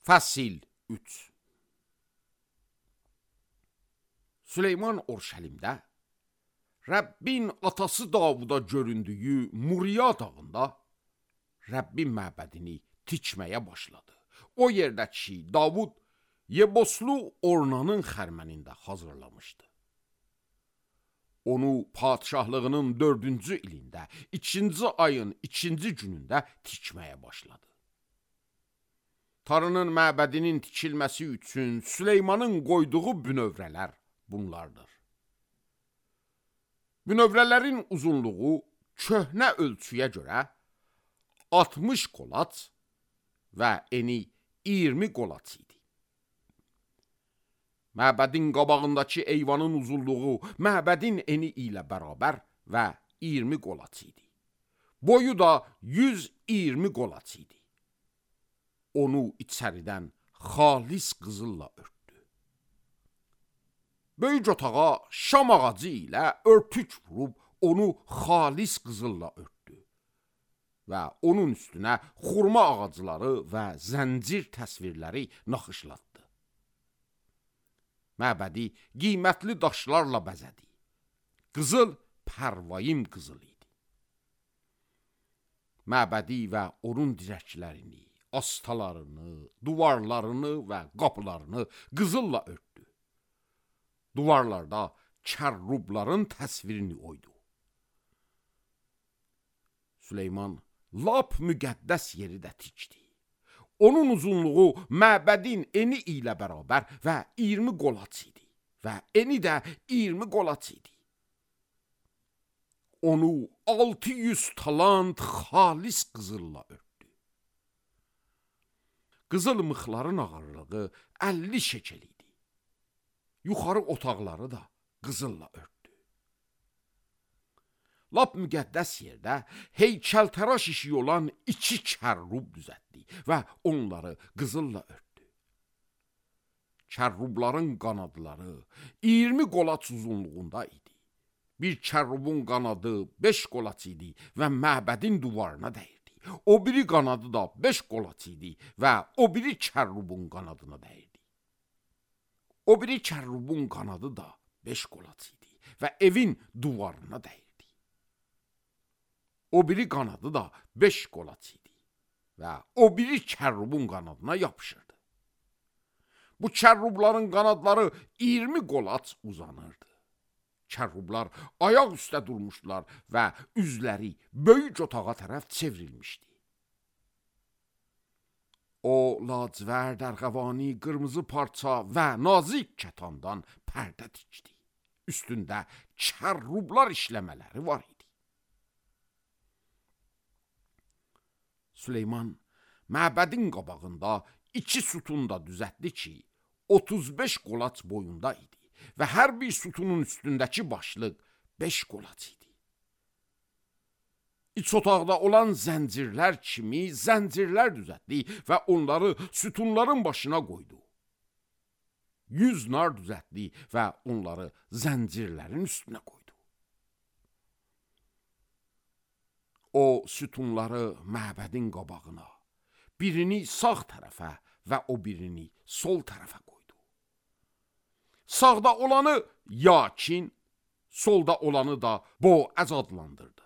Fəsil 3. Süleyman Orşəlimdə Rəbbin atası Davuda göründüyü Muriya dağında Rəbbin məbədini tikməyə başladı. O yerdə ki, Davud Yeboslu Ornanın xərmənində hazırlamışdı. Onu padişahlığının 4-cü ilində, 2-ci ayın 2-ci günündə tikməyə başladı. Tanrının məbədinin tikilməsi üçün Süleymanın qoyduğu bünövrələr bunlardır. Bünövrələrin uzunluğu köhnə ölçüyə görə 60 qolaç və eni 20 qolaç idi. Məbədin qabağındakı eyvanın uzunluğu məbədin eni ilə bərabər və 20 qolaç idi. Boyu da 120 qolaç idi. Onu içəridən xalis qızılla örtdü. Böyük otağa şam ağacı ilə örtük vurub onu xalis qızılla örtdü və onun üstünə xurma ağacları və zəncir təsvirləri naxışlatdı. Məbədi qiymətli daşlarla bəzədi. Qızıl pərvayim qızıl idi. Məbədi və onun dirəklərini, astalarını, duvarlarını və qapılarını qızılla örtdü. Duvarlarda kərrubların təsvirini oydu. Süleyman lap müqəddəs yeri də tikdi. Onun uzunluğu məbədin eni ilə bərabər və 20 qolaç idi və eni də 20 qolaç idi. Onu 600 talant xalis qızılla örtdü. Qızıl mıxların ağırlığı 50 şekel idi. Yuxarı otaqları da qızılla örtdü. Lap müqəddəs yerdə heykəltəraş işi olan 2 kərrub düzəltdi və onları qızılla örtdü. Kərrubların qanadları 20 qolaç uzunluğunda idi. Bir kərrubun qanadı 5 qolaç idi və məbədin duvarına dəyirdi. O biri qanadı da 5 qolaç idi və o biri kərrubun qanadına dəyirdi. O biri kərrubun qanadı da 5 qolaç idi və evin duvarına dəyirdi. O biri qanadı da 5 qolaç idi və o biri kərrubun qanadına yapışırdı. Bu kərrubların qanadları 20 qolaç uzanırdı. Kərrublar ayaq üstə durmuşlar və üzləri böyük otağa tərəf çevrilmişdi. O, lacivərd, ərğəvani, qırmızı parça və nazik kətandan pərdə tikdi. Üstündə kərrublar işləmələri var idi. Süleyman məbədin qabağında 2 sütun da düzəltdi ki, 35 qolaç boyunda idi və hər bir sütunun üstündəki başlıq 5 qolaç idi. İç otaqda olan zəncirlər kimi zəncirlər düzəltdi və onları sütunların başına qoydu. 100 nar düzəltdi və onları zəncirlərin üstünə qoydu. O sütunları məbədin qabağına, birini sağ tərəfə və o birini sol tərəfə qoydu. Sağda olanı Yakin, solda olanı da Boaz adlandırdı.